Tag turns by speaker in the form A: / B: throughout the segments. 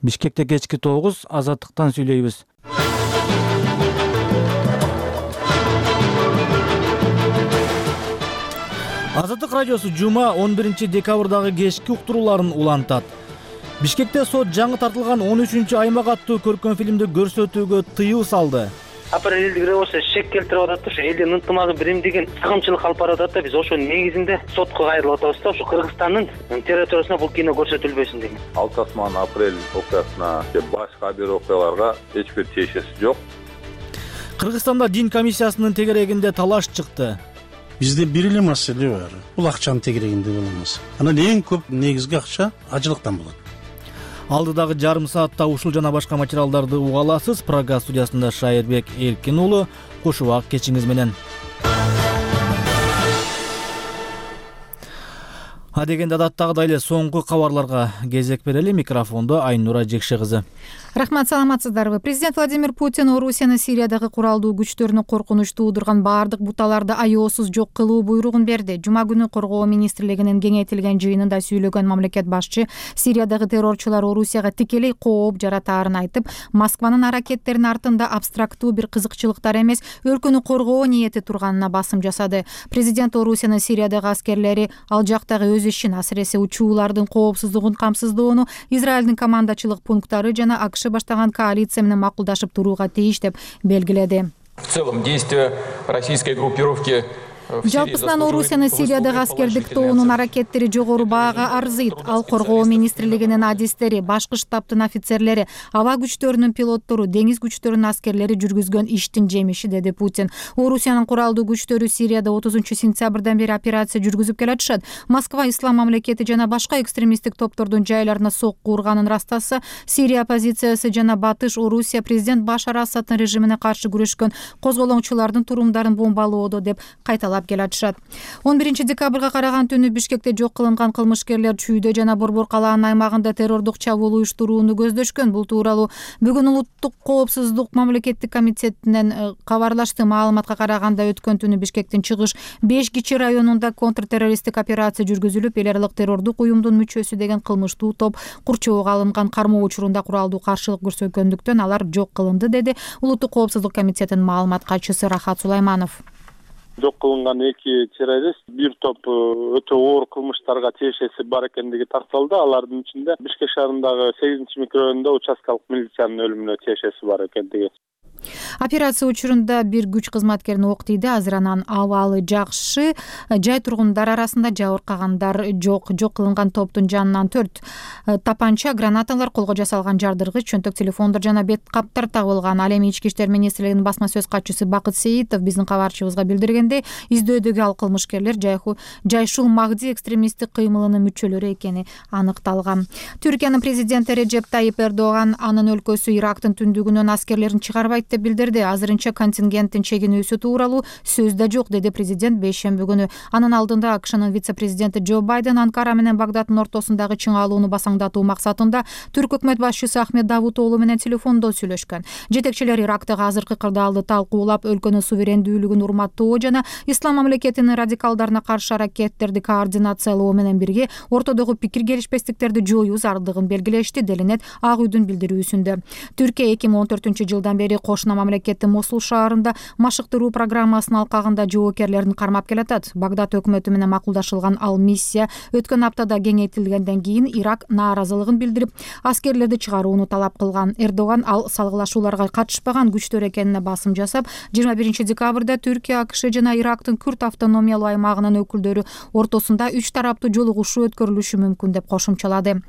A: Бишкекте кечки 9, Азаттыктан сүйлөйбүз. Азаттык радиосу жума 11 декабрдагы кечки уктурууларын улантат. Бишкекте сот жаңы тартылган 13-аймак аттуу көркөм фильмди көрсөтүүгө тыюу салды.
B: Апрелдик революция шек келтирип атат да, ошо элдин ынтымагын биримдигин сагынчылык алып баратат да. Биз ошонун негизинде сотко кайрылып атабыз да, ушу Кыргызстандын территориясына бул кино көрсөтүлбөсүн деген.
C: Алтасман апрель окуясына же башка бир окуяларга эч бир тиешеси жок.
A: Кыргызстанда дин комиссиясынын тегерегинде талаш чыкты.
D: Бизде бир эле маселе бар. Бул акчанын тегерегинде болмос. Анан эң көп негизги акча ажылыктан болот.
A: Алдыдагы жарым саатта ушул жана башка материалдарды уга аласыз. Программа студиясында Шайырбек Эркин уулу, кош убак кечиңиз менен. Адегенде адаттагыдай эле соңку кабарларга кезек берели. Микрофондо Айнура Жекше кызы.
E: Рахмат, саламатсыздарбы? Президент Владимир Путин Орусияны Сириядагы куралдуу күчтөрүнө коркунуч туудурган баардык буталарды аеосуз жок кылуу буйругун берди. Жума күнү Коргоо министрлигинин кеңейтилген жыйынында сүйлөгөн мамлекет башчы Сириядагы террорчулар Орусияга тикелей кооп жаратаарын айтып, Москванын аракеттеринин артында абстрактуу бир кызыкчылыктар эмес, өлкөнү коргоо ниети турганына басым жасады. Президент Орусиянын Сириядагы аскерлери ал жактагы өз ишин, асыресе учуулардын коопсуздугун камсыздоону, Израилдин командачылык пункттары жана АКШ баштаган коалиция менен макулдашып турууга тийиш деп белгиледи.
F: В целом действия российской группировки
E: Жалпысынан Орусияны Сириядагы аскердик тобунун аракеттери жогору баага арзыйт. Ал Коргоо министрлигинин адистери, башкы штабтын офицерлери, аба күчтөрүнүн пилоттору, деңиз күчтөрүнүн аскерлери жүргүзгөн иштин жемиши, деди Путин. Орусиянын куралдуу күчтөрү Сирияда 30-сентябрдан бери операция жүргүзүп келатышат. Москва ислам мамлекети жана башка экстремисттик топтордун жайларына сокку урганын растаса, Сирия оппозициясы жана Батыш Орусия президент Башар Асаддын режимине каршы күрөшкөн козголоңчулардын турумдарын бомбалоодо деп кайталап келатышат. 11 декабрга караган түнү Бишкекте жок кылынган кылмышкерлер Чүйдө жана Борбор калаанын аймагында террордук чабуул уюштурууну көздөшкөн. Бул тууралуу бүгүн Улуттук коопсуздук мамлекеттик комитетинен кабарлашты. Маалыматка караганда өткөн түнү Бишкектин чыгыш 5 кичи районунда контртеррористтик операция жүргүзүлүп, эл аралык террордук уюмдун мүчөсү деген кылмыштуу топ курчоого алынган кармоо учурунда куралдуу каршылык көрсөткөндүктөн алар жок кылынды, деди Улуттук коопсуздук комитетинин маалымат катчысы Рахат Сулайманов.
G: Жок кылынган 2 террорист бир топ өтө оор кылмыштарга тиешеси бар экендиги такталды. Алардын ичинде Бишкек шаарындагы 8-микрорайонунда участкалык милициянын өлүмүнө тиешеси бар экендиги.
E: Операция учурунда бир күч кызматкерин ок тийди. Азыр анан абалы жакшы. Жай тургундар арасында жабыркагандар жок. Жок кылынган топтун жанынан 4 тапанча, гранаталар, колго жасалган жардыргыч, чөнтөк телефондор жана бет каптар табылган. Ал эми Ички иштер министрлигинин басма сөз катчысы Бакыт Сейитов биздин кабарчыбызга билдиргендей, издөөдөгү ал кылмышкерлер Жайшул Магди экстремисттик кыймылынын мүчөлөрү экени аныкталган. Түркиянын президенти Реджеп Тайип Эрдоган анын өлкөсү Ирактын түндүгүнөн аскерлерин чыгарбайт деп билдирди. Азырынча контингенттин чегинүүсү тууралуу сөз да жок, деди президент бейшемби күнү. Анын алдында АКШнын вице-президенти Джо Байден Анкара менен Багдадтын ортосундагы чыңалууну басаңдатуу максатында түрк өкмөт башчысы Ахмед Давутоглу менен телефондо сүйлөшкөн. Жетекчилер Ирактагы азыркы кырдаалды талкуулап, өлкөнүн суверендүүлүгүн урматтоо жана ислам мамлекетинин радикалдарына каршы аракеттерди координациялоо менен бирге ортодогу пикир келишпестиктерди жоюу зарылдыгын белгилешти, делинет Ак үйдүн билдирүүсүндө. Түркия 2014-жылдан бери кошуна мамлекеттин Мосул шаарында машыктыруу программасынын алкагында жоокерлерин кармап келатат. Багдад өкмөтү менен макулдашылган ал миссия өткөн аптада кеңейтилгенден кийин Ирак нааразылыгын билдирип, аскерлерди чыгарууну талап кылган. Эрдоган ал салгылашууларга катышпаган күчтөр экенине басым жасап, 21 декабрда Түркия, АКШ жана Ирактын Күрд автономиялуу аймагынын өкүлдөрү ортосунда 3 тараптуу жолугушуу өткөрүлүшү мүмкүн деп кошумчалады.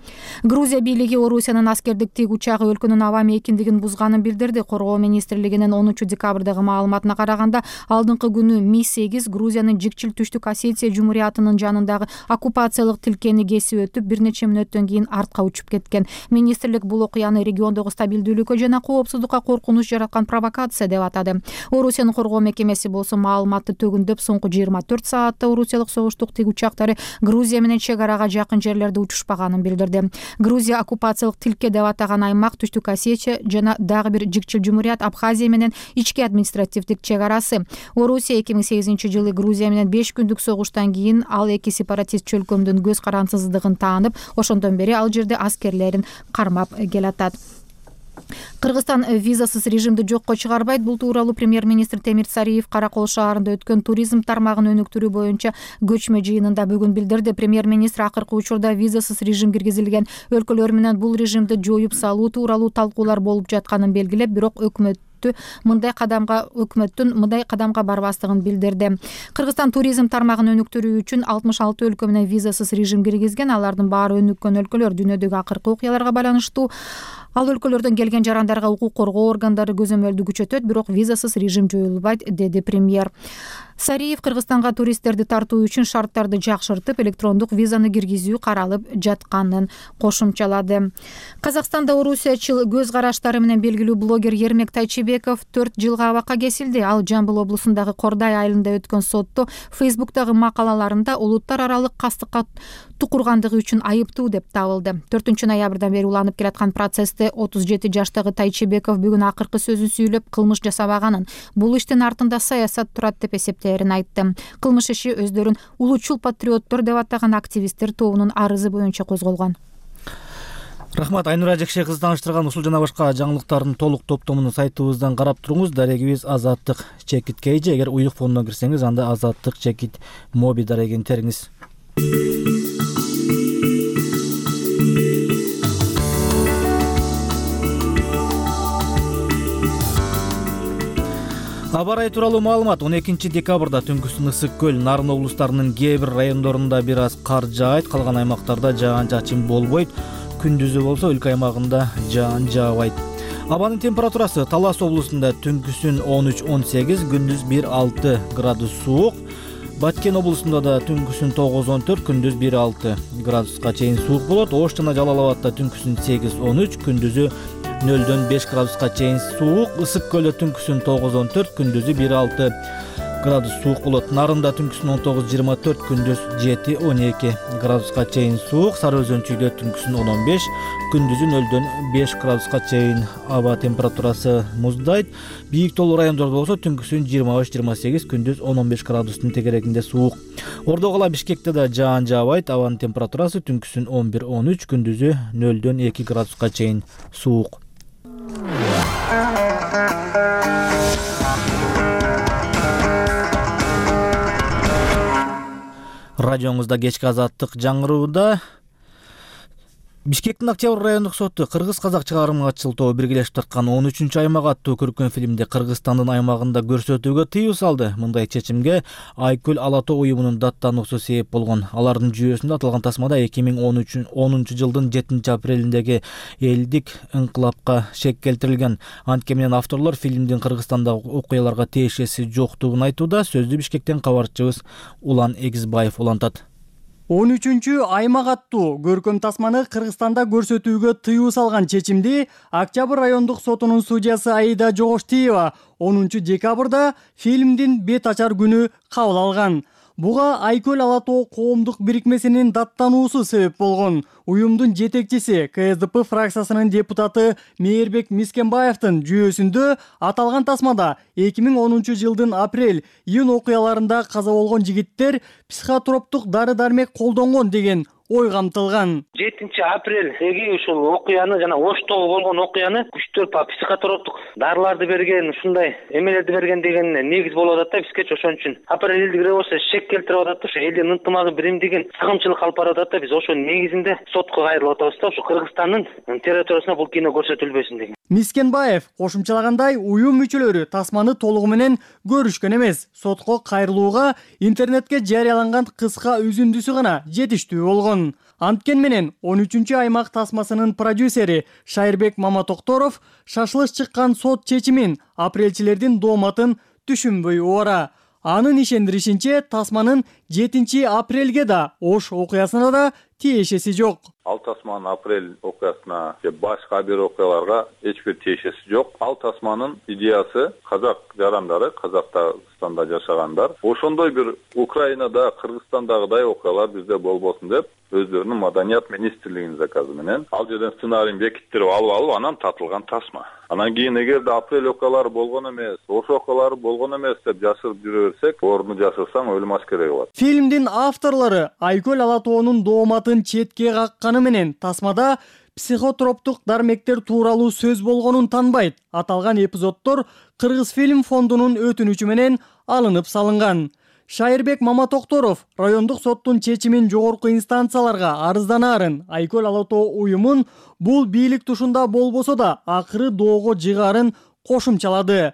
E: Грузия бийлиги Орусиянын аскердик тик учагы өлкөнүн аба мейкиндигин бузганын билдирди. Коргоо министрлигинин 10 декабрдагы маалыматына караганда, алдыңкы күнү Ми-8 Грузиянын Жикчил Түштүк Осетия Жумуриятынын жанындагы оккупациялык тилкени кесип өтүп, бир нече мүнөттөн кийин артка учуп кеткен. Министрлик бул окуяны региондогу стабилдүүлүккө жана коопсуздукка коркунуч жараткан провокация деп атады. Орусиянын коргоо мекемеси болсо маалыматты төгүндөп, соңку 24 саатта Орусиялык согуштук тик учактары Грузия менен чек арага жакын жерлерде учушпаганын билдирди. Грузия оккупациялык тилке деп атаган аймак Түштүк Осетия жана дагы бир Жикчил Жумурият Абхазия менен ички административдик чек арасы. Орусия 2008-жылы Грузия менен 5 күндүк согуштан кийин ал эки сепаратист чөлкөмдүн көз карансыздыгын таанып, ошондон бери ал жерде аскерлерин кармап келатат. Кыргызстан визасыз режимди жокко чыгарбайт. Бул тууралуу премьер-министр Темир Сариев Кара Кол шаарында өткөн туризм тармагын өнүктүрүү боюнча көчмө жыйынында бүгүн билдирди. Премьер-министр акыркы учурда визасыз режим киргизилген өлкөлөр менен бул режимди жоюп салуу тууралуу талкуулар болуп жатканын белгилеп, бирок өкмөттүн мындай кадамга барбастыгын билдирди. Кыргызстан туризм тармагын өнүктүрүү үчүн 66 өлкө менен визасыз режим киргизген. Алардын баары өнүккөн өлкөлөр. Дүйнөдөгү акыркы окуяларга байланыштуу ал өлкөлөрдөн келген жарандарга укук коргоо органдары көзөмөлдү күчөтөт, бирок визасыз режим жоюлбайт, деди премьер. Сариев Кыргызстанга туристтерди тартуу үчүн шарттарды жакшыртып, электрондук визаны киргизүү каралып жатканын кошумчалады. Казакстанда орусиячыл көз караштары менен белгилүү блогер Ермек Тайчыбеков 4 жылга абакка кесилди. Ал Жамбыл облусундагы Кордай айылында өткөн сотто Facebook'тагы макалаларында улуттар аралык кастыкка тукургандыгы үчүн айыптуу деп табылды. 4-ноябрдан бери уланып келаткан процессте 37 жаштагы Тайчыбеков бүгүн акыркы сөзүн сүйлөп, кылмыш жасабаганын, бул иштин артында саясат турат деп эсептээрин айтты. Кылмыш иши өздөрүн улутчул патриоттор деп атаган активисттер тобунун арызы боюнча козголгон.
A: Рахмат, Айнура Жекше кызы тааныштырган ушул жана башка жаңылыктардын толук топтомун сайтыбыздан карап туруңуз. Дарегибиз Азаттык Чекит KG. Эгер уюк фондон кирсеңиз, анда Азаттык Чекит Моби дарегин териңиз. Аба ырайы тууралуу маалымат. 12 декабрда түнкүсүн Ысык көл, Нарын облустарынын кээ бир райондорунда бир аз кар жаайт, калган аймактарда жаан-чачын болбойт. Күндүзү болсо өлкө аймагында жаан жаабайт. Абанын температурасы Талас облусунда түнкүсүн 13-18, күндүз 1-6 градус суук. Баткен облусунда да түнкүсүн 9-14, күндүз 1-6 градуска чейин суук болот. Ош жана Жалал Абадта түнкүсүн 8-13, күндүзү 0-5 градуска чейин суук. Ысык көлдө түнкүсүн 9-14, күндүзү 1-6 градус суук болот. Нарында түнкүсүн 19-24, күндүз 7-12 градуска чейин суук. Сары Өзөнчүйдө түнкүсүн 10-15, күндүзү 0-5 градуска чейин аба температурасы муздайт. Бийик тоолуу райондордо болсо түнкүсүн 23-28, күндүз 10-15 градустун тегерегинде суук. Ордо кала Бишкекте да жаан жаабайт. Абанын температурасы түнкүсүн 11-13, күндүзү 0-2 градуска чейин суук. Радионузда кечки Азаттык жаңырууда. Бишкектин Октябрь райондук соту кыргыз-казак чыгармачыл тобу биргелешип тарткан 13-аймак аттуу көркөм фильмди Кыргызстандын аймагында көрсөтүүгө тыюу салды. Мындай чечимге Айкөл Ала Тоо уюмунун даттануусу себеп болгон. Алардын жүйөсүндө аталган тасмада 2010 жылдын 7 апрелиндеги элдик ыңкылапка шек келтирилген. Антке менен авторлор фильмдин Кыргызстандагы окуяларга тиешеси жоктугун айтууда. Сөздү Бишкектен кабарчыбыз Улан Эгизбаев улантат.
H: 13-аймак аттуу көркөм тасманы Кыргызстанда көрсөтүүгө тыюу салган чечимди Октябрь райондук сотунун судьясы Аида Жогоштиева 10 декабрда фильмдин бет ачар күнү кабыл алган. Буга Айкөл Ала Тоо коомдук бирикмесинин даттануусу себеп болгон. Уюмдун жетекчиси КСДП фракциясынын депутаты Мээрбек Мискенбаевдин жүйөсүндө аталган тасмада 2010 жылдын апрель-июнь окуяларында каза болгон жигиттер психотроптук дары-дармек колдонгон деген ой камтылган.
B: 7 апрелдеги ушул окуяны жана Оштогу болгон окуяны күчтөр психотроптук дарыларды берген, ушундай эмелерди берген деген негиз болуп атат да бизге. Ошон үчүн апрель элдигире болсо шек келтирип атат да, ошо элдин ынтымагын биримдигин сагынчылык алып барып атат да. Биз ошонун негизинде сотко кайрылып атабыз да, ушу Кыргызстандын территориясына бул кино көрсөтүлбөсүн деген.
H: Мискенбаев кошумчалагандай, уюм мүчөлөрү тасманы толугу менен көрүшкөн эмес. Сотко кайрылууга интернетке жарыяланган кыска үзүндүсү гана жетиштүү болгон. Анткен менен 13-аймак тасмасынын продюсери Шайырбек Маматокторов шашылыш чыккан сот чечимин апрелчилердин дооматын түшүнбөй убара. Анын ишендиришинче, тасманын 7 апрелге да Ош окуясына да тиешеси жок.
C: Ал тасманын апрель окуясына же башка бир окуяларга эч бир тиешеси жок. Ал тасманын идеясы казак жарандары, Казакстанда жашагандар ошондой бир Украинада, Кыргызстандагыдай окуялар бизде болбосун деп өздөрүнүн маданият министрлигинин заказы менен ал жерден сценарийин бекиттирип алып анан татылган тасма. Анан кийин эгерде апрель окуялары болгон эмес, Ош окуялары болгон эмес деп жашырып жүрө берсек, ордуну жашырсаң өлүм аскереги болот.
H: Фильмдин авторлору Айкөл Алатоонун дооматын четке какканы менен тасмада психотроптук дармектер тууралуу сөз болгонун танбайт. Аталган эпизоддор Кыргызфильм фондунун өтүнүчү менен алынып салынган. Шайырбек Маматокторов райондук соттун чечимин жогорку инстанцияларга арызданаарын, Айкөл Алатоо уюмун бул бийлик тушунда болбосо да акыры доого жыгаарын кошумчалады.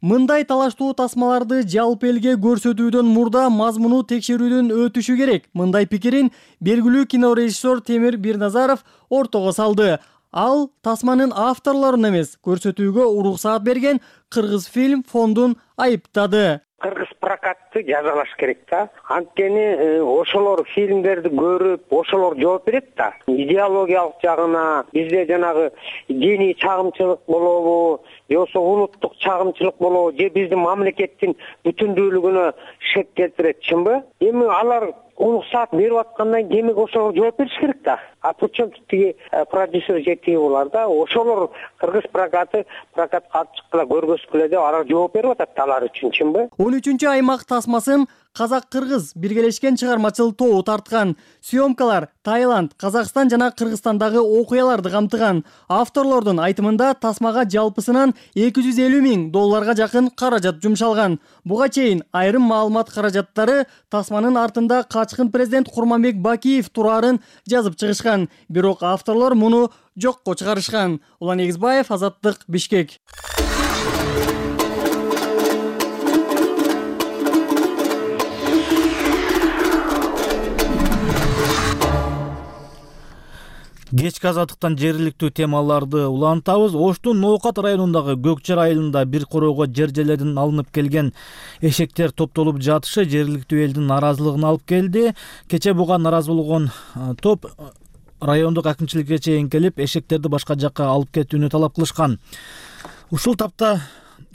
H: Мындай талаштуу тасмаларды жалпы элге көрсөтүүдөн мурда мазмуну текшерүүдөн өтүшү керек. Мындай пикирин белгилүү кинорежиссер Темир Бирназаров ортого салды. Ал тасманын авторлорун эмес, көрсөтүүгө уруксаат берген Кыргызфильм фондун айыптады.
I: Кыргыз прокатты жазалаш керек да. Анткени ошолор фильмдерди көрүп, ошолор жооп берет да. Идеологиялык жагына бизде жанагы диний чагымчылык болобу, же болбосо улуттук чагымчылык болобу, же биздин мамлекеттин бүтүндүүлүгүнө шек келтирет, чынбы? Эми алар уруксаат берип аткандан кийин ошолор жооп бериш керек да. А причем тиги продюсер жетиги булар да. Ошолор Кыргыз прокатка алып чыккыла, көргөзгүлө деп алар жооп берип атат алар үчүн, чынбы? 13
H: аймак тасмасын Казак-Кыргыз биргелешкен чыгармачыл тобу тарткан. Съемкалар Таиланд, Казакстан жана Кыргызстандагы окуяларды камтыган. Авторлордун айтымында тасмага жалпысынан $250,000 жакын каражат жумшалган. Буга чейин айрым маалымат каражаттары тасманын артында качкын президент Курманбек Бакиев турарын жазып чыгышкан. Бирок авторлор муну жокко чыгарышкан. Улан Эгизбаев, Азаттык, Бишкек.
A: Кечки азаттыктан жергиликтүү темаларды улантабыз. Оштун Ноокат районундагы Көкчар айылында бир короого жер-жерлерден алынып келген эшектер топтолуп жатышы жергиликтүү элдин наразылыгын алып келди. Кече буга наразы болгон топ райондук акимчиликке чейин келип, эшектерди башка жакка алып кетүүнү талап кылышкан. Ушул тапта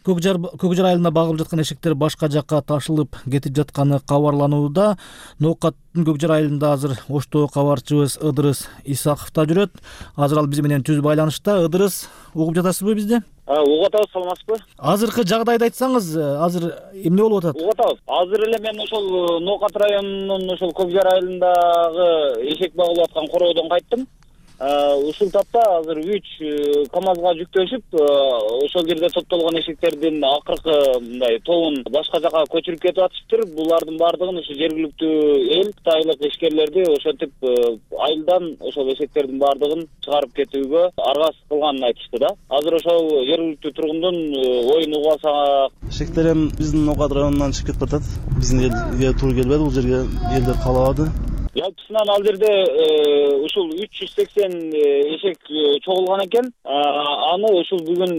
A: Көкжар айылында багылып жаткан эшектер башка жакка ташылып кетип жатканы кабарланууда. Ноокаттын Көкжар айылында азыр Оштогу кабарчыбыз Ыдырыс Исаков да жүрөт. Азыр ал биз менен түз байланышта. Ыдырыс, угуп жатасызбы бизди?
J: Угуп атабыз, саламатсызбы?
A: Азыркы жагдайды айтсаңыз, азыр эмне болуп атат?
J: Угуп атабыз. Азыр эле мен ошол Ноокат районунун ошол Көкжар айылындагы эшек багылып аткан короодон кайттым. Ушул тапта азыр 3 КАМАЗга жүктөшүп, ошол жерде топтолгон эшектердин акыркы мындай тобун башка жака көчүрүп кетип атышыптыр. Булардын баардыгын ушу жергиликтүү эл, кытайлык ишкерлерди ошентип айылдан ошол эшектердин баардыгын чыгарып кетүүгө аргасыз кылганын айтышты да. Азыр ошол жергиликтүү тургундун оюн угуп алсак,
K: эшектер эми биздин Ноокат районунан чыгып кетип атат. Биздин элге туура келбеди, бул жерге элдер калабады.
J: Жалпысынан ал жерде ушул 380 эшек чогулган экен. Аны ушул бүгүн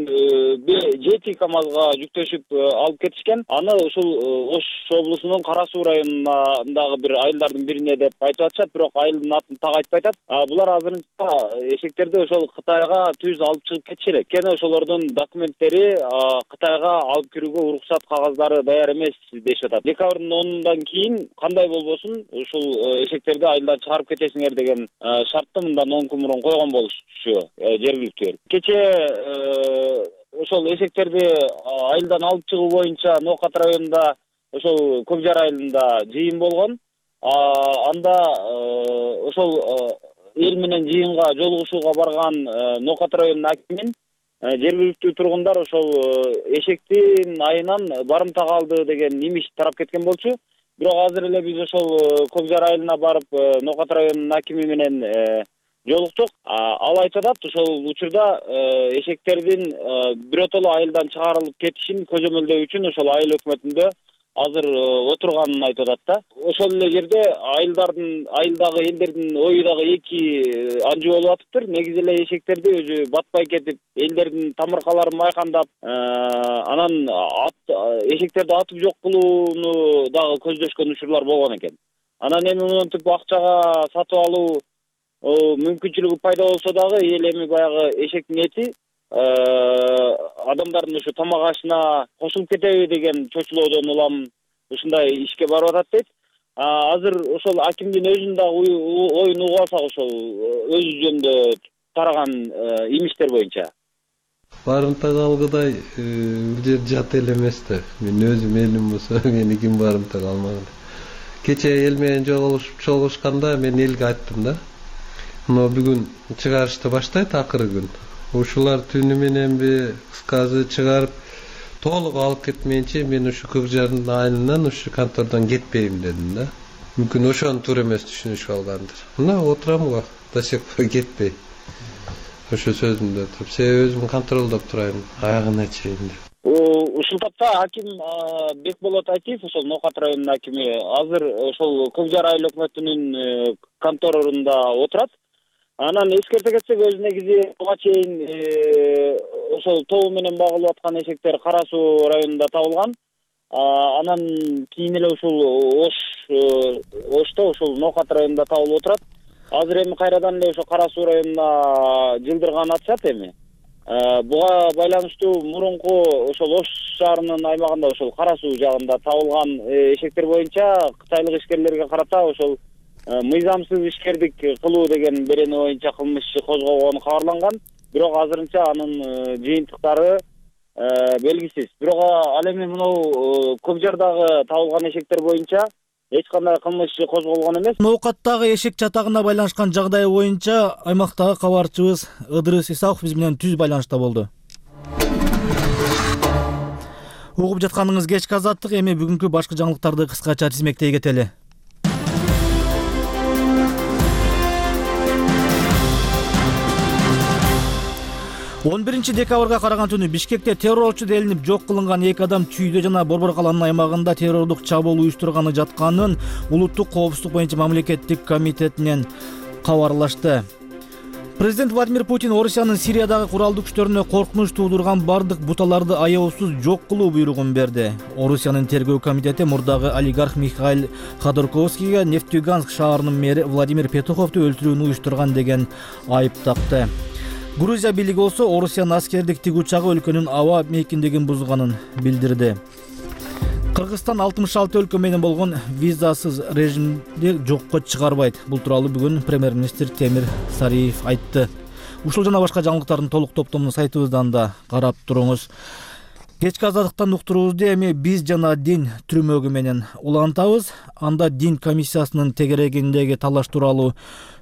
J: 7 КАМАЗга жүктөшүп алып кетишкен. Аны ушул Ош облусунун Кара Суу районундагы бир айылдардын бирине деп айтып атышат, бирок айылдын атын так айтпай атат. Булар азырынча эшектерди ошол Кытайга түз алып чыгып кетишет. Кene ошолордун документтери Кытайга алып кирүүгө уруксат кагаздары даяр эмес дешип атат. Декабрдын 10-ундан кийин кандай болбосун ушул эшектерди айылдан чыгарып кетесиңер деген шартты мындан 10 күн мурун койгон болушу жергиликтүү эл. Кече ошол эшектерди айылдан алып чыгуу боюнча Ноокат районунда ошол Көкжар айылында жыйын болгон. Анда ошол эл менен жыйынга жолугушууга барган Ноокат районунун акимин жергиликтүү тургундар ошол эшектин айынан барымтага алды деген имиш тарап кеткен болчу. Бирок азыр эле биз ошол Көкжар айылына барып Ноокат районунун акими менен жолуктук. Ал айтып атат, ошол учурда эшектердин биротоло айылдан чыгарылып кетишин көзөмөлдөө үчүн ошол айыл өкмөтүндө азыр отурганын айтып атат да. Ошол эле жерде айылдагы элдердин ою дагы эки анжы болуп атыптыр. Негизи эле эшектерди өзү батпай кетип, элдердин тамыркаларын майкандап, анан эшектерди атып жок кылууну дагы көздөшкөн учурлар болгон экен. Анан эми монтип акчага сатып алуу мүмкүнчүлүгү пайда болсо дагы эл эми баягы эшектин эти адамдардын ушу тамак ашына кошулуп кетеби деген чочулоодон улам ушундай ишке барып атат дейт. Азыр ошол акимдин өзүнүн дагы оюн угуп алсак, ошол өзү жөнүндө тараган имиштер боюнча.
L: Барымта калгыдай бул жер жат эл эмес да. Мен өзүм элим болсо мени ким барымта калмаган. Кече эл менен жолугушканда мен элге айттым да. Но бүгүн чыгарышты баштайт акыркы күн. Ушулар түнү мененби кыскасы чыгарып толук алып кетмейинче мен ушу Көкжардын айылынан ушу контордон кетпейм дедим да. Мүмкүн ошону туура эмес түшүнүшүп алгандыр. Мына отурам го, до сих пор кетпей. Ошо сөзүмдө туруп, себеби өзүм контролдоп турайын, аягына чейин деп.
J: Ушул тапта аким Бекболот Айтиев, ошол Ноокат районунун акими, азыр ошол Көкжар айыл өкмөтүнүн конторунда отурат. Анан эскерте кетсек, өзү негизи буга чейин ошол тобу менен багылып аткан эшектер Кара Суу районунда табылган. Анан кийин эле ушул Ошто ошол Ноокат районунда табылып отурат. Азыр эми кайрадан эле ошо Кара Суу районуна жылдырган атышат эми. Буга байланыштуу мурунку ошол Ош шаарынын аймагында ошол Кара Суу жагында табылган эшектер боюнча кытайлык ишкерлерге карата ошол мыйзамсыз ишкердик кылуу деген берени боюнча кылмыш иши козголгону кабарланган. Бирок азырынча анын жыйынтыктары белгисиз. Бирок ал эми мынау Көкжардагы табылган эшектер боюнча эч кандай кылмыш иши козголгон эмес.
A: Ноокаттагы эшек чатагына байланышкан жагдай боюнча аймактагы кабарчыбыз Ыдырыс Исаков биз менен түз байланышта болду. Угуп жатканыңыз кечки азаттык, эми бүгүнкү башкы жаңылыктарды кыскача тизмектей кетели. 11 декабрга караган түнү Бишкекте террорчу делинип жок кылынган 2 адам Чүйдө жана Борбор калаанын аймагында террордук чабуул уюштурганы жатканын Улуттук коопсуздук боюнча мамлекеттик комитетинен кабарлашты. Президент Владимир Путин Орусиянын Сириядагы куралдуу күчтөрүнө коркунуч туудурган бардык буталарды аяосуз жок кылуу буйругун берди. Орусиянын тергөө комитети мурдагы олигарх Михаил Ходорковскийге Нефтьюганск шаарынын мэри Владимир Петуховду өлтүрүүнү уюштурган деген айып такты. Грузия бийлиги болсо Орусиянын аскердик тик учагы өлкөнүн аба мейкиндигин бузганын билдирди. Кыргызстан 66 өлкө менен болгон визасыз режимди жокко чыгарбайт. Бул тууралуу бүгүн премьер-министр Темир Сариев айтты. Ушул жана башка жаңылыктардын толук топтомун сайтыбыздан да карап туруңуз. Кечки азаттыктан уктуруубузду эми биз жана дин түрмөгү менен улантабыз. Анда дин комиссиясынын тегерегиндеги талаш тууралуу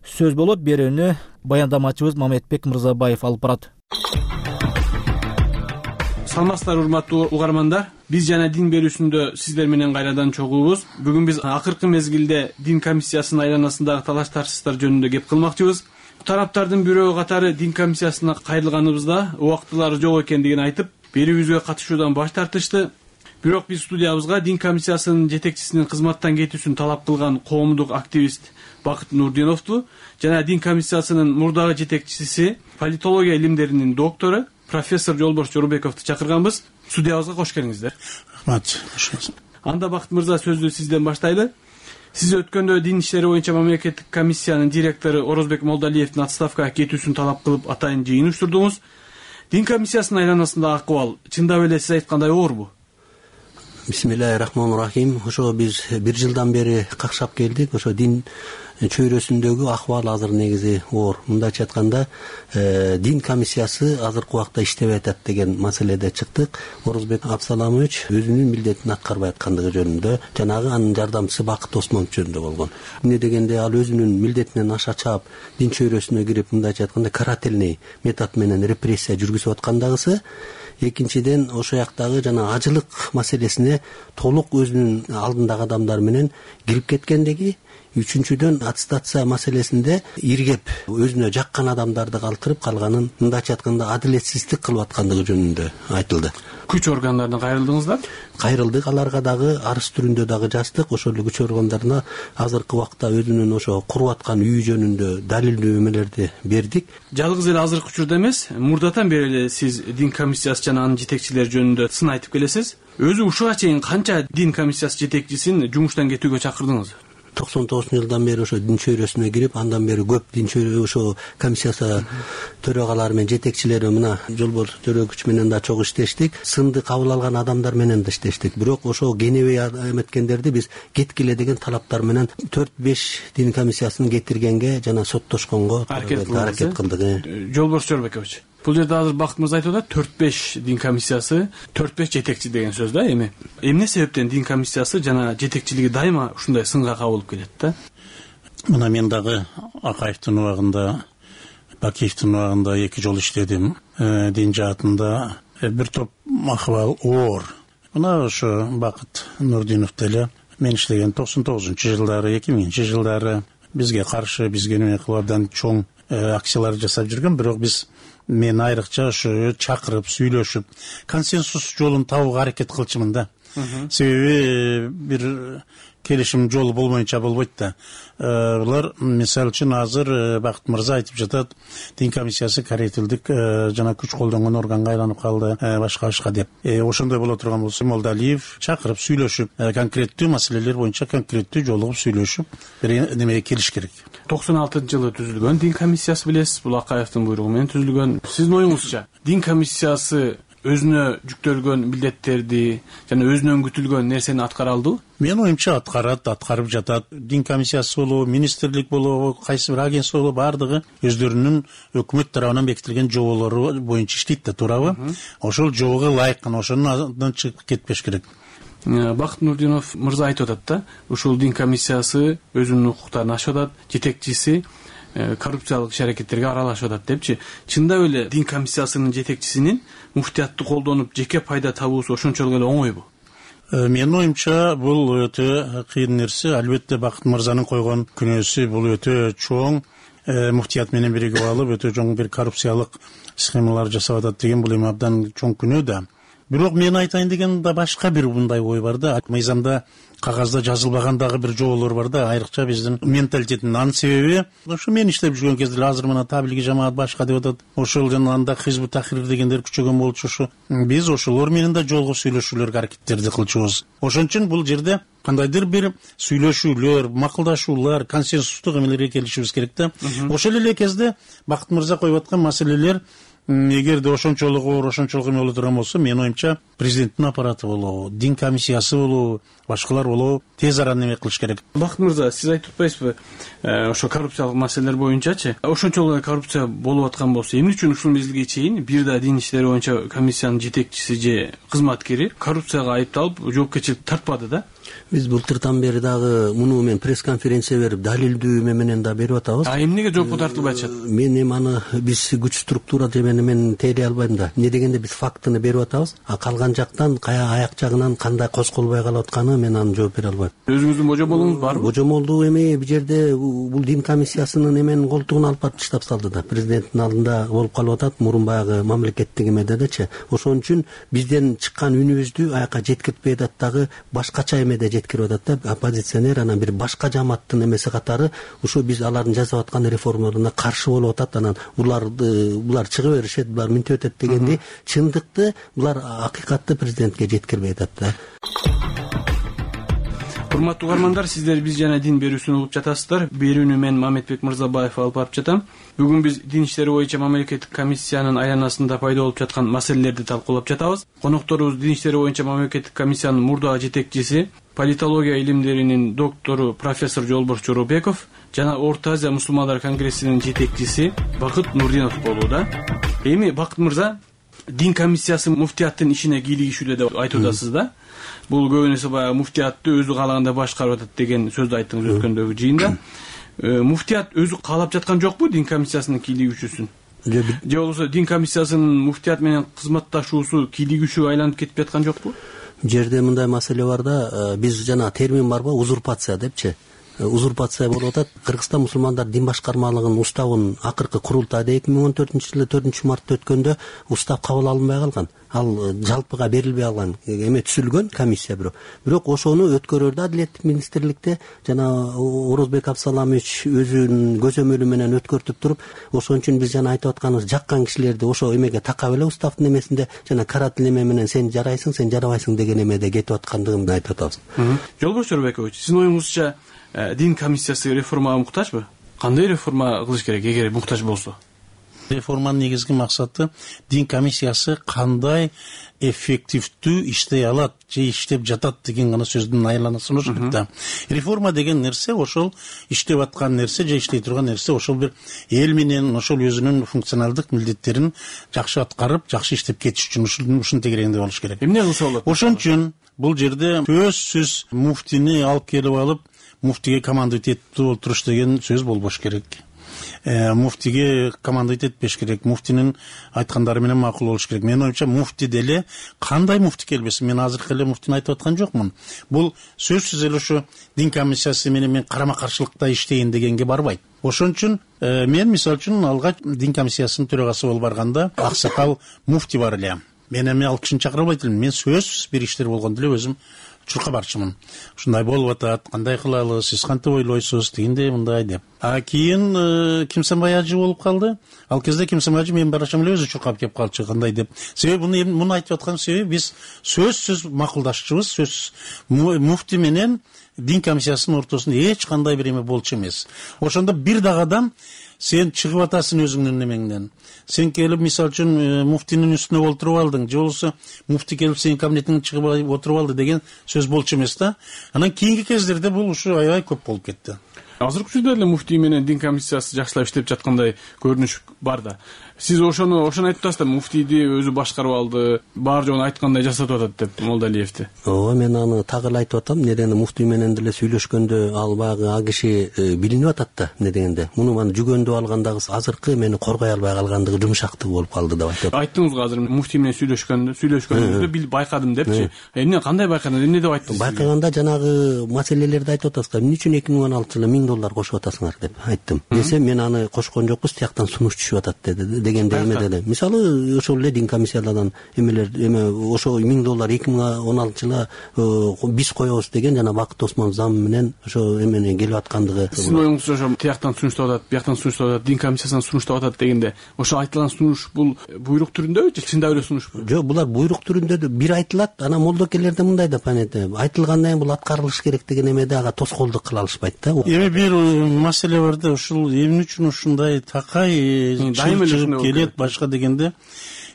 A: сөз болот. Берүүнү баяндамачыбыз Мамедбек Мырзабаев алып барат.
M: Саламатсыздар урматтуу угармандар. Биз жана дин берүүсүндө сиздер менен кайрадан чогуубуз. Бүгүн биз акыркы мезгилде дин комиссиясынын айланасындагы талаш тартыштар жөнүндө кеп кылмакчыбыз. Тараптардын бирөө катары дин комиссиясына кайрылганыбызда убактылары жок экендигин айтып, берүүбүзгө катышуудан баш тартышты. Бирок биз студиябызга дин комиссиясынын жетекчисинин кызматтан кетүүсүн талап кылган коомдук активист Бакыт Нурдиновду жана дин комиссиясынын мурдагы жетекчиси, политология илимдеринин доктору профессор Жолборс Жорубековду чакырганбыз. Студиябызга кош келиңиздер.
D: Рахмат.
M: Анда Бакыт мырза, сөздү сизден баштайлы. Сиз өткөндө дин иштери боюнча мамлекеттик комиссиянын директору Орозбек Молдалиевдин отставкага кетүүсүн талап кылып атайын жыйын уюштурдуңуз. Дин комиссиясынын айланасындагы акыбал чындап эле сиз айткандай оорбу?
N: Бисмиллахиррахманиррахим. Ошо биз 1 жылдан бери какшап келдик. Ошо дин чөйрөсүндөгү акыбал азыр негизи оор. Мындайча айтканда, дин комиссиясы азыркы убакта иштебей атат деген маселеде чыктык. Орозбек Абсаламович өзүнүн милдетин аткарбай аткандыгы жөнүндө, жанагы анын жардамчысы Бакыт Осмонов жөнүндө болгон. Эмне дегенде, ал өзүнүн милдетинен аша чаап дин чөйрөсүнө кирип, мындайча айтканда, карательный метод менен репрессия жүргүзүп аткандагысы. Экинчиден, ошо жактагы жана ажылык маселесине толук өзүнүн алдындагы адамдар менен кирип кеткендиги. Үчүнчүдөн, аттестация маселесинде иргеп өзүнө жаккан адамдарды калтырып калганын, мындайча айтканда, адилетсиздик кылып аткандыгы жөнүндө айтылды.
M: Күч органдарына кайрылдыңыздар?
N: Кайрылдык, аларга дагы арыз түрүндө дагы жаздык. Ошол күч органдарына азыркы убакта өзүнүн ошо куруп аткан үй жөнүндө далилдүү эмелерди бердик.
M: Жалгыз эле азыркы учурда эмес, мурдатан бери эле сиз дин комиссиясы жана анын жетекчилери жөнүндө сын айтып келесиз. Өзү ушуга чейин канча дин комиссиясы жетекчисин жумуштан кетүүгө чакырдыңыз?
N: жылдан бери ошо дин чөйрөсүнө кирип, андан бери көп дин чөйрө ошо комиссиясы төрагалары менен жетекчилери мына Жолборс Төрөгүч менен да чогуу иштештик, сынды кабыл алган адамдар менен да иштештик. Бирок ошо кенебей эметкендерди биз кеткиле деген талаптар менен 4-5 дин комиссиясын кетиргенге жана соттошконго аракет кылдык.
M: Жолборс Жорбекович, бул жерде азыр Бакыт мырза айтып атат, 4-5 дин комиссиясы, 4-5 жетекчи деген сөз да. Эмне себептен дин комиссиясы жана жетекчилиги дайыма ушундай сынга кабылып келет да?
D: Мына мен дагы Акаевдин убагында, Бакиевдин убагында 2 жол иштедим. Дин жаатында бир топ акыбал оор. Мына ошо Бакыт Нурдинов деле мен иштеген 99-жылдары, 2000-жылдары бизге каршы, бизге неме кылып абдан чоң акциялар жасап жүргөн. Бирок мен айрыкча ошо чакырып, сүйлөшүп, консенсус жолун табууга аракет кылчумун да. Себеби бир келишим жолу болмойнча болбойт да. Булар мисалы үчүн азыр Бакыт мырза айтып жатат, дин комиссиясы каретилдик жана күч колдонгон органга айланып калды, башка деп. Ошондой боло турган болсо Молдалиев чакырып, сүйлөшүп, конкреттүү маселелер боюнча конкреттүү жолугуп сүйлөшүп, бир немеге келиш керек. 96-жылы түзүлгөн дин комиссиясы билесиз, бул Акаевдин буйругу менен түзүлгөн. Сиздин оюңузча, дин комиссиясы өзүнө жүктөлгөн милдеттерди жана өзүнөн күтүлгөн нерсени аткара алдыбы? Менин оюмча аткарып жатат. Дин комиссиясы болобу, министрлик болобу, кайсы бир агентство болобу, бардыгы өздөрүнүн өкмөт тарабынан бекитилген жоболору боюнча иштейт да, туурабы? Ошол жобого ылайык ошонун чыгып кетпеш керек.
M: Бакыт Нурдинов мырза айтып атат да, ушул дин комиссиясы өзүнүн укуктарын ашып атат, жетекчиси коррупциялык иш-аракеттерге аралашып атат депчи. Чындап эле дин комиссиясынын жетекчисинин муфтиятты колдонуп жеке пайда табуусу ошончолук эле оңойбу?
D: Менин оюмча бул өтө кыйын нерсе. Албетте Бакыт мырзанын койгон күнөөсү бул өтө чоң, муфтият менен биригип алып өтө чоң бир коррупциялык схемалар жасап атат деген бул эми абдан чоң күнөө да. Бирок мен айтайын деген да башка бир мындай ой бар да. Мыйзамда кагазда жазылбаган дагы бир жоболор бар да, айрыкча биздин менталитеттин. Анын себеби ошо мен иштеп жүргөн кезде азыр мына таблиги жамаат башка деп атат. Ошол жана анда Хизбут Тахрир дегендер күчөгөн болчу. Ошо биз ошолор менен да жолугуп сүйлөшүүлөргө аракеттерди кылчубуз. Ошон үчүн бул жерде кандайдыр бир сүйлөшүүлөр, макулдашуулар, консенсустук эмелерге келишибиз керек да. Ошол эле кезде Бакыт мырза коюп аткан маселелер эгерде ошончолук оор, ошончолук эме боло турган болсо, менин оюмча президенттин аппараты болобу, дин комиссиясы болобу, башкалар болобу тез арада неме кылыш керек.
M: Бакыт мырза, сиз айтып атпайсызбы, ошо коррупциялык маселелер боюнчачы, ошончолук коррупция болуп аткан болсо, эмне үчүн ушул мезгилге чейин бир да дин иштери боюнча комиссиянын жетекчиси же кызматкери коррупцияга айыпталып жоопкерчиликке тартпады да?
N: Биз былтыртан бери дагы муну мен пресс-конференция берип, далилдүү менен да берип атабыз.
M: Эмнеге жоопко тартылбай атышат?
N: Мен эми аны биз күч структура демени мен тейлей албайм да. Эмне дегенде биз фактыны берип атабыз, а калган жактан аяк жагынан кандай козголбой калып атканы мен аны жооп бере албайм.
M: Өзүңүздүн божомолуңуз барбы?
N: Божомолду эми бул жерде бул дин комиссиясынын эменин колтугун алып барып таштап салды да. Президенттин алдында болуп калып атат, мурун баягы мамлекеттик эмедечи. Ошон үчүн бизден чыккан үнүбүздү аяка жеткиртпей атат, дагы башкача эмеде жеткирип атат да. Оппозиционер анан бир башка жамааттын эмеси катары ушу биз алардын жасап аткан реформаларына каршы болуп атат. Анан булар чыгып беришет, булар минтип өтөт дегенди чындыкты, булар акыйкатты президентке жеткирбей атат да.
M: Урматтуу угармандар, сиздер биз жана дин берүүсүн угуп жатасыздар. Берүүнү мен Мамедбек Мырзабаев алып барып жатам. Бүгүн биз дин иштери боюнча мамлекеттик комиссиянын айланасында пайда болуп жаткан маселелерди талкуулап жатабыз. Конокторубуз дин иштери боюнча мамлекеттик комиссиянын мурдагы жетекчиси, политология илимдеринин доктору профессор Жолборс Жоробеков жана Орто Азия мусулмандар конгрессинин жетекчиси Бакыт Нурдинов болууда. Эми Бакыт мырза, дин комиссиясы муфтияттын ишине кийлигишүүдө деп айтып атасыз да. Бул көбүнесе баягы муфтиятты өзү каалагандай башкарып атат деген сөздү айттыңыз өткөндөгү жыйында. Муфтият өзү каалап жаткан жокпу дин комиссиясынын кийлигишүүсүн? Же болбосо дин комиссиясынын муфтият менен кызматташуусу кийлигишүү айланып кетип жаткан жокпу?
N: Жерде мындай маселе бар да, биз жана термин барбы, узурпация депчи. Узурпация болуп атат. Кыргызстан мусулмандар дин башкармалыгынын уставынын акыркы курултайда 2014-жылы 4-мартта өткөндө устав кабыл алынбай калган. Ал жалпыга берилбей алган эме түзүлгөн комиссия бирок ошону өткөрөрдө Адилеттик министрликте жана Орозбек Абсаламович өзүнүн көзөмөлү менен өткөртүп туруп, ошон үчүн биз жана айтып атканыбыз жаккан кишилерди ошо эмеге такап эле уставдын эмесинде жана каратыл эме менен сен жарайсың, сен жарабайсың деген эмеде кетип аткандыгын айтып атабыз.
M: Жолборс Жоробекович, сиздин оюңузча дин комиссиясы реформага муктажбы? Кандай реформа кылыш керек эгер муктаж болсо?
D: Реформанын негизги максаты дин комиссиясы кандай эффективдүү иштей алат же иштеп жатат деген гана сөздүн айланасы болуш керек да. Реформа деген нерсе ошол иштеп аткан нерсе же иштей турган нерсе ошол бир эл менен ошол өзүнүн функционалдык милдеттерин жакшы аткарып, жакшы иштеп кетиш үчүн ушун тегерегинде болуш керек.
M: Эмне кылса болот?
D: Ошон үчүн бул жерде сөзсүз муфтини алып келип алып, муфтиге командовать этип олтуруш деген сөз болбош керек. Муфтиге командовать этпеш керек, муфтинин айткандары менен макул болуш керек. Менин оюмча муфти деле кандай муфти келбесин, мен азыркы эле муфтини айтып аткан жокмун. Бул сөзсүз эле ошо дин комиссиясы менен мен карама каршылыкта иштейин дегенге барбайт. Ошон үчүн мен мисалы үчүн алгач дин комиссиясынын төрагасы болуп барганда аксакал муфти бар эле. Мен эми ал кишини чакыра албайт элем. Мен сөзсүз бир иштер болгондо эле өзүм учурка барчумун. Ушундай болуп атат, кандай кылалы, сиз кантип ойлойсуз, дегендей мындай деп. Кийин Кимсенбай ажы болуп калды. Ал кезде Кимсенбай ажы мен барачам эле өзү чуркап кеп калчу, кандай деп. Себеби муну айтып аткан себеби биз сөзсүз макулдашчубуз, сөзсүз муфти менен дин комиссиясынын ортосунда эч кандай бир эме болчу эмес. Ошондо бир дагы адам сен чыгып атасың өзүңдүн немеңден. Сен келип мисалы үчүн муфтинин үстүнө олтуруп алдың, же болбосо муфти келип сенин кабинетиңе чыгып отуруп алды деген сөз болчу эмес да. Анан кийинки кездерде бул ушу аябай көп болуп кетти.
M: Азыркы учурда эле муфти менен дин комиссиясы жакшылап иштеп жаткандай көрүнүш бар да. Сиз ошону айтып атасыз да, муфтийди өзү башкарып алды, баары жогун айткандай жасатып атат деп Молдалиевди.
N: Ооба, мен аны так эле айтып атам. Недени муфти менен деле сүйлөшкөндө ал багы а киши билинип атат да, не дегенде. Муну мана жүгөндүп алгандагы азыркы мени коргой албай калгандыгы жумшактык болуп калды деп айтып.
M: Айттыңыз азыр муфти менен сүйлөшкөндө байкадым депчи. Эмне кандай байкадыңыз? Эмне деп айттыңыз?
N: Байкаганда жанагы маселелерди айтып атасызга. Эмне үчүн 2016-жылы $1000 кошуп атасыңар деп айттым. Десе мен аны кошкон жокпуз, тияктан сунуш түшүп атат дегенде эме деди. Мисалы ошол эле дин комиссиялардан ошо $1000 2016-жылы биз коебуз деген жана Бакыт Осмонов зам менен ошо эмени келип аткандыгы.
M: Сиздин оюңузча ошо тияктан сунуштап атат, бияктан сунуштап атат, дин комиссиясынан сунуштап атат дегенде, ошо айтылган сунуш бул буйрук түрүндөбү же чындап эле сунушпу?
N: Жок, булар буйрук түрүндө бир айтылат, анан молдокелерде мындай деп айтылгандан кийин бул аткарылыш керек деген эмеде ага тоскоолдук кыла алышпайт да.
D: Эми бир маселе бар да, ушул эмне үчүн ушундай такай чыгып келет башка дегенде,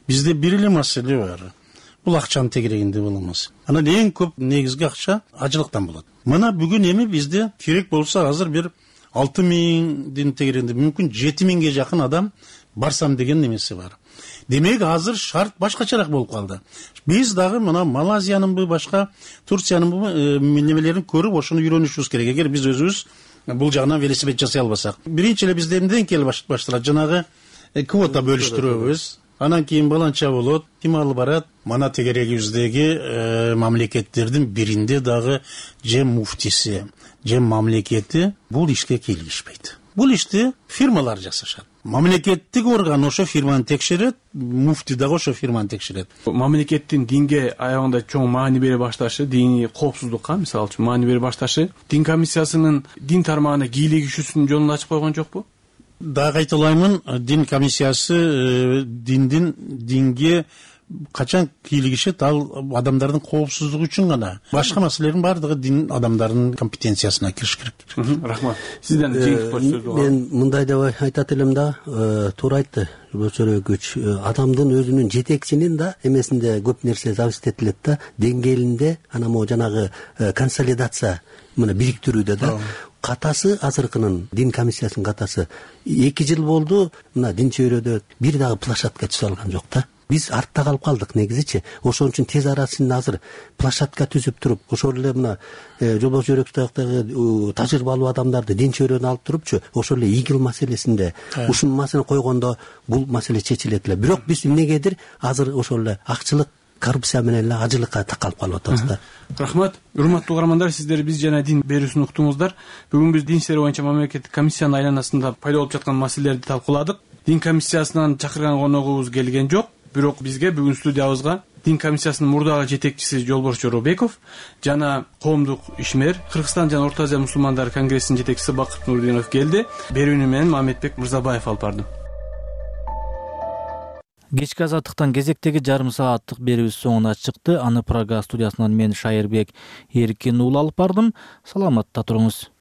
D: бизде бир эле маселе бар. Бул акчанын тегерегинде болмос. Анан эң көп негизги акча ажылыктан болот. Мына бүгүн эми бизде керек болсо азыр бир 6000 тегерегинде мүмкүн 7000ге жакын адам барсам деген немеси бар. Демек азыр шарт башкачараак болуп калды. Биз дагы мына Малайзиянынбы, башка Турциянынбы немелерин көрүп ошону үйрөнүшүбүз керек. Эгер биз өзүбүз бул жагынан велосипед жасай албасак. Биринчи эле бизде эмнеден келип башталат? Жанагы квота бөлүштүрөбүз. Анан кийин баланча болот, ким алып барат? Мана тегерегибиздеги мамлекеттердин биринде дагы же муфтиси, же мамлекети бул ишке кийлигишпейт. Бул ишти фирмалар жасашат. Мамлекеттик орган ошо фирманы текшерет, муфти дагы ошо фирманы текшерет.
M: Мамлекеттин динге аягында чоң маани бере башташы, дини коопсуздукка мисалы үчүн маани бере башташы, дин комиссиясынын дин тармагына кийлигишүүсүнүн жолун ачып койгон жокпу?
D: Дагы айтылаймын, дин комиссиясы динге качан кийлигишет, ал адамдардын коопсуздугу үчүн гана. Башка маселелердин баардыгы дин адамдарынын компетенциясына кириш керек.
M: Рахмат. Сизден сөз бар.
N: Мен мындай деп айтат элем да, туура айтты Бөчөрөкүч. Адамдын өзүнүн жетекчинин да эмесинде көп нерсе зависит этилет да, деңгээлинде анан могу жанагы консолидация мына бириктирүүдө да. Катасы азыркынын дин комиссиясынын катасы 2 жыл болду, мына дин чөйрөдө бир дагы площадка түзө алган жок да. Биз артта калып калдык негизичи. Ошон үчүн тез арасында азыр площадка түзүп туруп, ошол эле мына Жолбош Жөрөкбаевдагы тажрыйбалуу адамдарды дин чөйрөнө алып турупчу, ошол эле игил маселесинде ушул маселени койгондо бул маселе чечилет эле. Бирок биз эмнегедир азыр ошол эле акчылык, коррупция менен эле ажылыкка такалып калып атабыз да.
M: Рахмат. Урматтуу угармандар, сиздер биз жана дин берүүсүн уктуңуздар. Бүгүн биз дин иштери боюнча мамлекеттик комиссиянын айланасында пайда болуп жаткан маселелерди талкууладык. Дин комиссиясынан чакырган коногубуз келген жок, бирок бизге бүгүн студиябызга дин комиссиясынын мурдагы жетекчиси Жолбош Жоробеков жана коомдук ишмер, Кыргызстан жана Орто Азия мусулмандар конгрессинин жетекчиси Бакыт Нурдинов келди. Берүүнү менен Мамедбек Мырзабаев алып барды.
A: Кечки азаттыктан кезектеги жарым сааттык берүүбүз соңуна чыкты. Аны Прага студиясынан мен Шайырбек Эркин уулу алып бардым. Саламатта туруңуз.